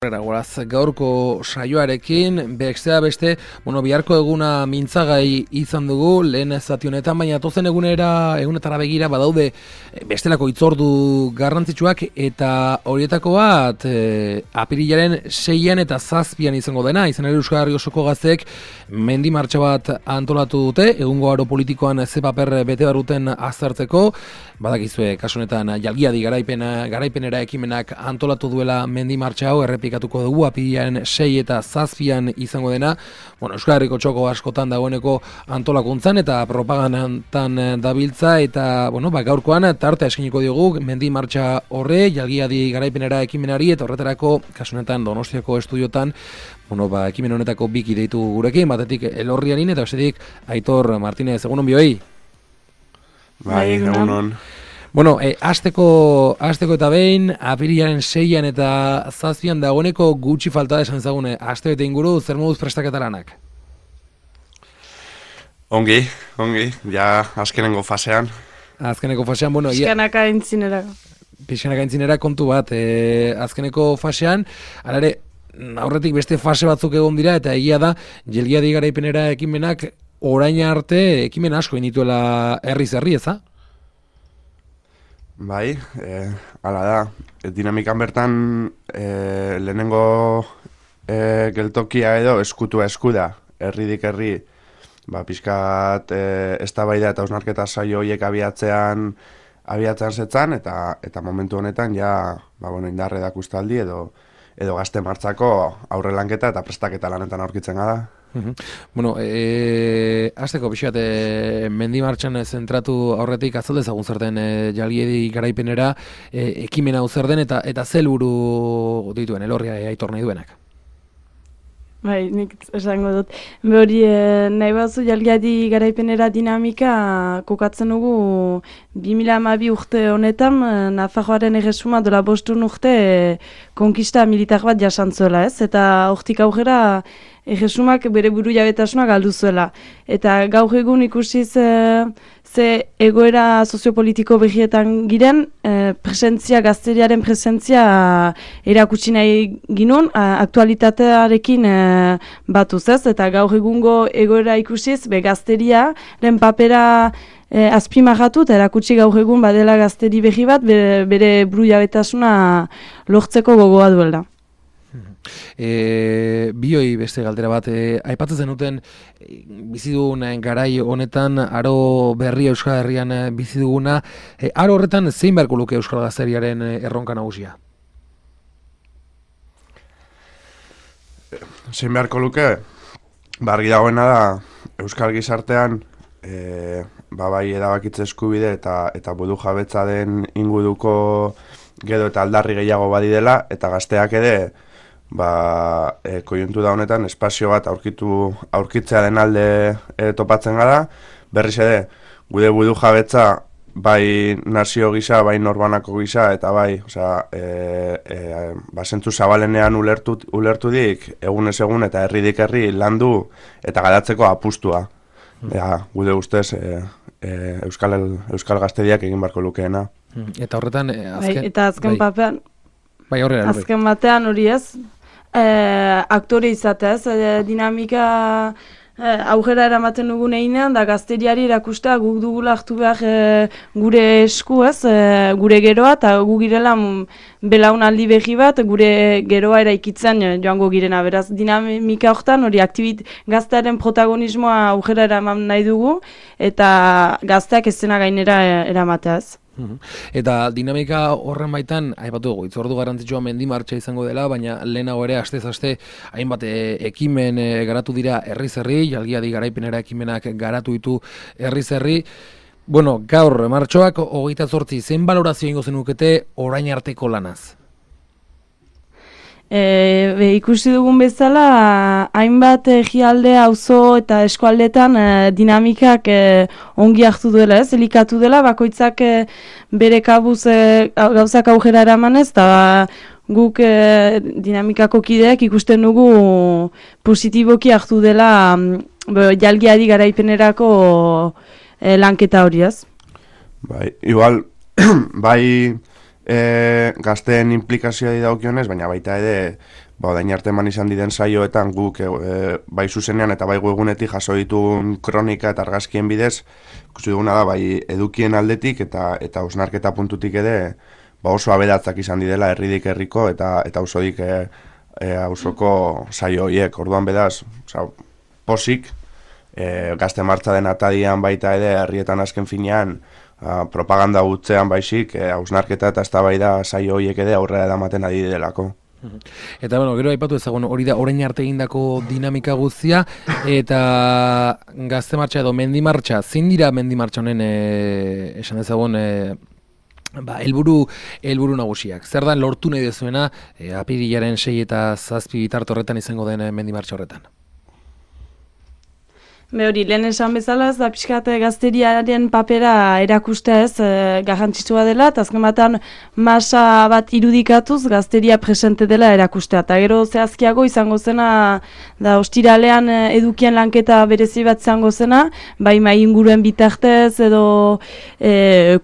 Goraz, gaurko saioarekin, beste, biharko eguna mintzagai izan dugu, lehen zati honetan, baina tozen egunetara begira badaude bestelako hitzordu garrantzitsuak, eta horietako bat apirilaren 6an eta 7an izango dena, izan ere Euskal Herri osoko gazteek mendi martxa bat antolatu dute, egungo aro politikoan ze paper bete baruten aztertzeko, badakizue, kasu honetan jalgiadi garaipenera ekimenak antolatu duela mendi martxa hau, errepikatuko dugu, apirilaren 6 eta 7an izango dena, Euskal Herriko txoko askotan dagoeneko antolakuntzan eta propagandan dabiltza, eta gaurkoan tartea eskiniko diogu mendi martxa horre, jalgiadi garaipenera ekimenari, eta horretarako, kasu honetan Donostiako estudiotan, ekimen honetako biki deitu gurekin, batetik Elorrianin eta bestetik Aitor Martinez, egunon bioi? Bai, egunon. Asteko eta behin, apirilaren 6an eta 7an dagoeneko gutxi falta esan zagune, aste bete inguru, zer moduz prestaketa lanak? Ongi, ja azkenengo fasean. Pixkanaka entzinera kontu bat, azkeneko fasean, alare, aurretik beste fase batzuk egon dira, eta egia da, jalgiadi garaipenera ekimenak orain arte ekimen asko inituela herri, eza? Bai, hala da, dinamikan bertan lehenengo geltokia edo eskutua eskuda, herridik herri, pixkat eztabaida eta hausnarketa saio horiek abiatzean zetzan, eta momentu honetan ja indarre dakustaldi edo gazte martxako aurre lanketa eta prestaketa lanetan aurkitzen gara. Azteko pixat, mendi martxan zentratu aurretik azaldezagun zer den jalgiadi garaipenera ekimena hau zer den eta zer helburu dituen, Elorria Aitor nahi duenak? Bai, nik esango dut. Hori nahi batzu jalgiadi garaipenera dinamika kokatzen dugu 2012 urte honetan Nafarroaren erresuma dola 5 urte konkista militar bat jasantzuela, ez? Eta hortik aurrera erresumak bere buru jabetasuna galdu zuela. Eta gaur egun ikusiz ze egoera soziopolitiko behietan giren, gazteriaren presentzia erakutsi nahi ginun, aktualitatearekin batuz, ez? Eta gaur egungo egoera ikusiz, gazteriaren papera azpimarratu eta erakutsi gaur egun badela gazteri behi bat bere buru jabetasuna lortzeko gogoa duela. Bioi beste galdera bat, aipatzen zenuten bizi dugun garai honetan aro berria Euskal Herrian bizi duguna, aro horretan zein beharko luke Euskal Gazteriaren erronka nagusia? Zein beharko luke, argi dagoena da Euskal gizartean bai edabakitze eskubide eta budu jabetza den inguruko gedo eta aldarri gehiago badi dela, eta gazteak ere koiuntura honetan espazio bat aurkitzea den alde topatzen gara, berriz ere, gude budu jabetza bai nazio gisa, bai norbanako gisa, eta bai, zentzu zabalenean ulertudik, egunez egun eta herridik herri landu eta garatzeko apustua. Gude ustez, Euskal Gazteriak egin barko lukeena. Eta horretan, azken batean hori ez, aktore izateaz, dinamika aurrera eramaten dugun einean, da gazteriari erakustea guk dugula hartu behar gure esku ez, gure geroa, eta gu girela belaunaldi behi bat, gure geroa eraikitzen joango girena. Beraz, dinamika horretan hori gaztearen protagonismoa aurrera eraman nahi dugu, eta gazteak ez zena gainera eramateaz. Eta dinamika horren baitan, aipatu dugu, hitzordu garrantzitsua mendi martxa izango dela, baina lehenago ere astez-aste hainbat ekimen garatu dira herriz-herri, jalgiadi garaipenera ekimenak garatu ditu herriz-herri. Gaur martxoak 28, zein balorazio ingo zenukete orain arteko lanaz? Ikusi dugun bezala, hainbat egialde, auzo eta eskualdetan dinamikak ongi hartu duela, elikatu dela, bakoitzak bere kabuz gauzak aurrera eramanez, eta guk dinamikako kideak ikusten dugu positiboki hartu dela jalgiadi garaipenerako lanketa hori, ez? Bai, igual, bai gazteen implikazioa dagokionez, baina baita ere orain arte eman izan diren saioetan guk bai zuzenean eta bai webgunetik jaso dituen kronika eta argazkien bidez, ikusi duguna da bai edukien aldetik eta hausnarketa puntutik ere oso abedatzak izan didela herridik herriko eta auzodik auzoko saio horiek. Orduan bedaz, posik, gazte martza den atadian baita ere herrietan azken finean propaganda gutzean baizik, hausnarketa eta eztabaida saio horiek ere aurrera edamaten ari delako. Eta gero aipatu ezagun hori da orain arte egindako dinamika guztia eta gazte martxa edo mendi martxa, zein dira mendi martxa honen esan ezagun helburu nagusiak. Zer da lortu nahi dezuena apirilaren 6 eta 7 bitarte horretan izango den mendi martxa horretan? Hori, lehen esan bezala, da pixkat gazteriaren papera erakustea ez garrantzitsua dela, eta azken batean masa bat irudikatuz gazteria presente dela erakustea. Eta gero zehazkiago izango zena, da ostiralean edukien lanketa berezi bat izango zena, bai mai inguruen bitartez edo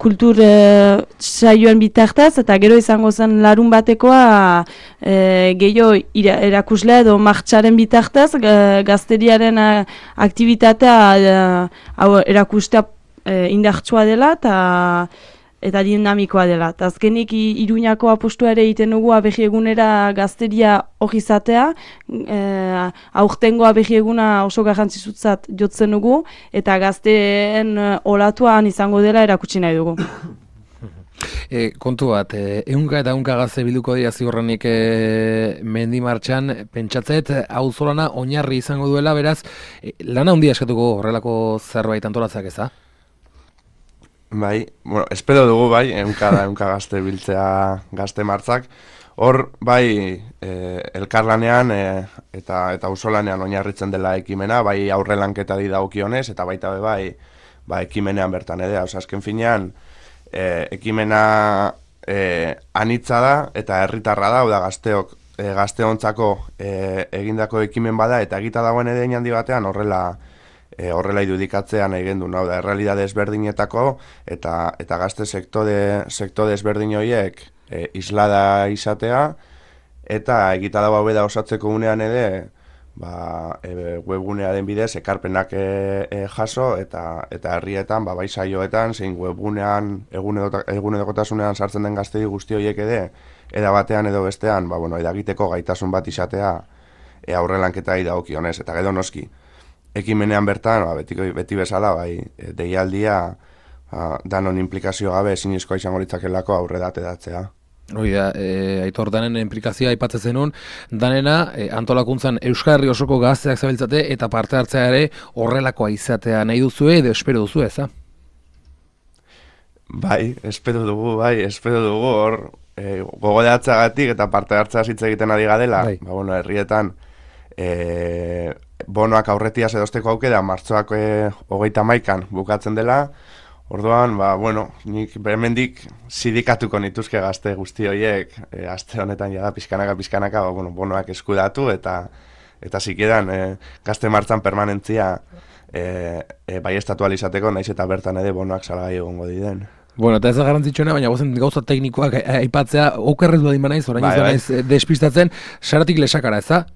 kultur saioen bitartez, eta gero izango zen larun batekoa gehiago erakuslea edo martxaren bitartez gazteriaren aktibitatea erakustea indartsua dela eta dinamikoa dela. Eta azkenik Iruñako apustua ere egiten dugu abehi egunera gazteria hori izatea, aurtengo abehi eguna oso garrantzitsutzat jotzen dugu eta gazteen olatuan izango dela erakutsi nahi dugu. Kontu bat, ehunka eta ehunka gazte bilduko dira ziurrenik mendi martxan, pentsatzet auzolana oinarri izango duela, beraz, lana handia eskatuko horrelako zerbait antolatzeak ez da? Bai, espero dugu bai, ehunka gazte biltzea gazte martzak. Hor, bai, elkarlanean eta auzolanean oinarritzen dela ekimena, bai aurrelanketari dagokionez eta baita bai ekimenean bertan ere, azken finean, ekimena anitza da eta herritarra da, da gazteontzako egindako ekimen bada eta egita dagoen edein handi batean horrela irudikatzea nahi gendu, da errealidade ezberdinetako eta gazte sektore ezberdin horiek islada izatea eta egita dago hau da osatzeko unean ere webgunearen bidez ekarpenak jaso eta herrietan, bai saioetan, zein webgunean egunerokotasunean sartzen den gaztei guzti horiek eda batean edo bestean, edagiteko gaitasun bat izatea aurrelanketa dagokionez. Eta gero noski, ekimenean bertan, beti bezala, deialdia danon implikazio gabe ezinezkoa izango litzakelako aurrera ateratzea. Hori da, Aitor, danen implikazioa aipatzen zenun, danena antolakuntzan Euskal Herri osoko gazteak zabiltzate eta parte hartzea ere horrelakoa izatea nahi duzue edo espero duzu eza? Bai, espero dugu, hor gogoratzeagatik eta parte hartzea hitz egiten ari gadela, herrietan bonoak aurretiaz edosteko aukera martxoak 31 bukatzen dela. Orduan, nik hemendik sindikatuko nituzke gazte guzti horiek, aste honetan jada pizkanaka, bonoak eskudatu eta zikeran gazte martzan permanentzia bai estatualizateko, naiz eta bertan ere bonoak salgai egongo diren. Eta ez da garrantzitsuena, baina gozen gauza teknikoak aipatzea, okerrez badin banaiz, orain ez banaiz despistatzen, saratik lesakara, ez da?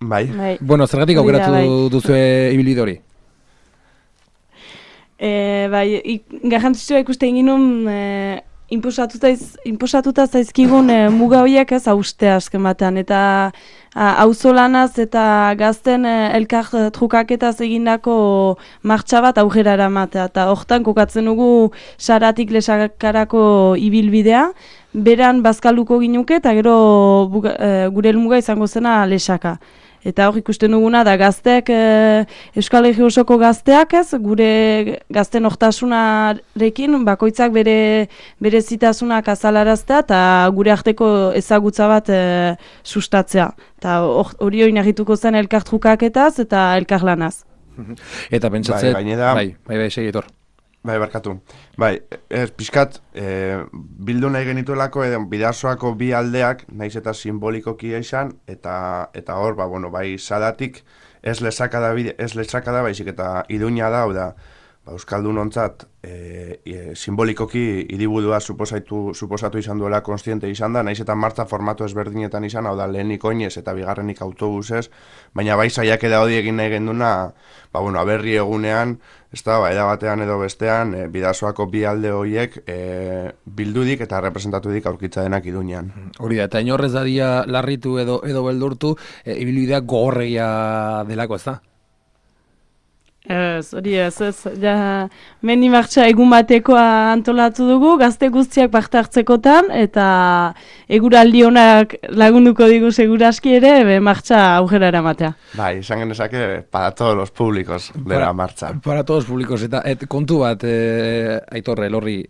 Bai. Zergatik aukeratu duzue ibilbide hori? Garrantzitsua ikusten ginun inposatuta zaizkigun muga horiek ez haustea azken batean eta auzolanaz eta gazten elkar trukaketaz egindako martxa bat aurrera eramatea eta hortan kokatzen dugu saratik lesakarako ibilbidea, beran bazkalduko ginuke eta gero gure helmuga izango zena lesaka. Eta hor ikusten duguna da gazteak, Euskal Herri osoko gazteak ez, gure gazten hortasunarekin bakoitzak bere zitasunak azalaraztea eta gure arteko ezagutza bat sustatzea. Eta hori oinarrituko zen elkartrukaketaz eta elkarlanaz. Eta pentsatzen, bai, segitor. Bai, barkatu. Pixkat, bildu nahi genituelako bidasoako bi aldeak, naiz eta simbolikoki izan, eta hor, sadatik ez lesakada baizik eta Iruña da, Euskaldunontzat simbolikoki hiriburua suposatu izan duela kontziente izan da, naiz eta martza formatu ezberdinetan izan, hau da lehenik oinez eta bigarrenik autobusez, baina bai saiakera hori egin nahi genduna, aberri egunean, ez da, eda batean edo bestean, Bidasoako bi alde horiek bildudik eta representatudik aurkitza denak Iruñean. Hori da, eta inorrez dadia larritu edo beldurtu, ibilbideak gogorregia delako, ez da? Ez, ja, mendi martxa egun batekoa antolatu dugu, gazte guztiak parte hartzekotan, eta eguraldi honak lagunduko digu seguraski ere, martxa aurrera eramatea. Bai, izan genezake, para todos los públicos de la marcha. Para todos los públicos, eta kontu bat, Aitor, Elorri,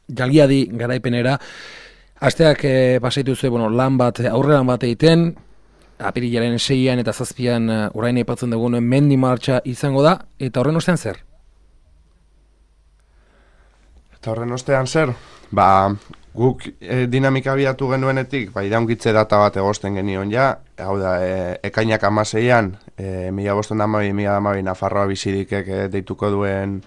jalgiadi garaipenera, asteak pasaitu zuen, lan bat, aurrelan bat egiten, apirilaren 6an eta 7an orain aipatzen dugun mendi martxa izango da, eta horren ostean zer? Guk dinamika biatu genuenetik, iraungitze data bat egosten genion ja, hau da, ekainak 16an, 1512 Nafarroa bizidikek deituko duen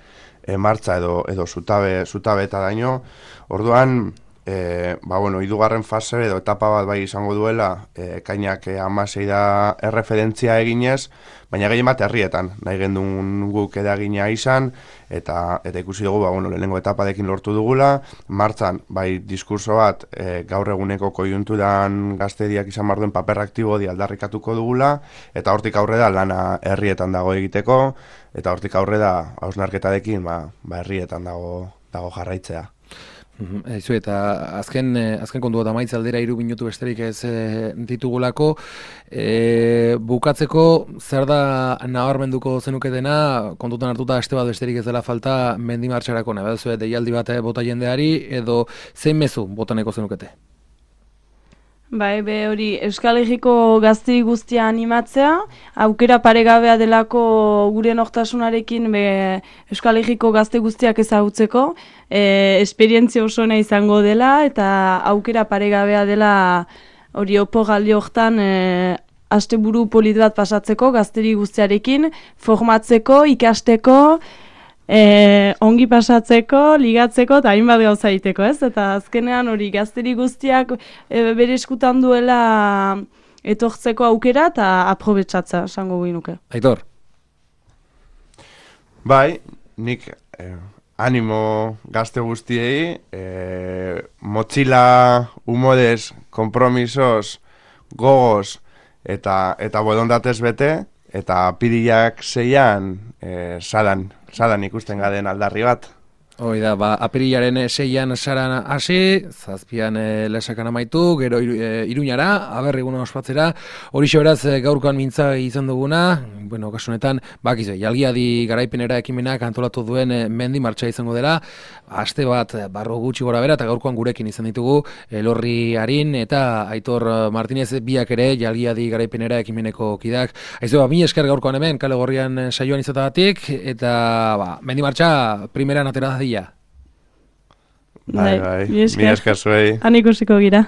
martxa edo zutabe eta daño, orduan, hirugarren fase edo etapa bat bai izango duela, ekainak 16 da erreferentzia eginez, baina gehien bat herrietan, nahi gendun guk edagina izan, eta ikusi dugu, lehenengo etapadekin lortu dugula, martzan, bai diskurso bat, gaur eguneko koiunturan gazteriak izan barduen paper aktibo di aldarrikatuko dugula, eta hortik aurrera lana herrietan dago egiteko, eta hortik aurrera hausnarketarekin herrietan dago jarraitzea. Eta azken kontu bat amaitza aldera 3 minutu besterik ez ditugulako, bukatzeko zer da nabarmenduko zenuketena, kontutan hartuta aste bat besterik ez dela falta mendi martxarako, nahi deialdi bat bota jendeari, edo zein mezu botaneko zenukete? Bai, hori Euskal Herriko gazte guztia animatzea, aukera paregabea delako gure nortasunarekin Euskal Herriko gazte guztiak ezagutzeko, esperientzia oso ona izango dela, eta aukera paregabea dela hori opogaldi hortan asteburu polit bat pasatzeko gazteri guztiarekin, formatzeko, ikasteko, ongi pasatzeko, ligatzeko eta hainbat gauza egiteko, ez? Eta azkenean hori gazteri guztiak bere eskutan duela etortzeko aukera eta aprobetxatza, esango guinuke. Aitor? Bai, nik animo gazte guztiei, motxila, humorez, kompromisos, gogoz eta borondatez bete, eta apirilak 6an salan ikusten gaden aldarri bat. Hoi da, apirilaren 6an saran hasi, 7an lesakan amaitu, gero Iruñara, aberriguna ospatzera, horixe beraz gaurkoan mintza izan duguna, kasunetan, bakizu, jalgiadi garaipenera ekimenak antolatu duen mendi martxa izango dela, aste bat barro gutxi gora bera, eta gaurkoan gurekin izan ditugu, Elorri Arin eta Aitor Martinez biak ere jalgiadi garaipenera ekimeneko kidak. Aizu, mi esker gaurkoan hemen, Kale Gorrian saioan izatagatik, eta mendi martxa primeran atera da. Bai, mi esker zuei. Han ikusiko gira.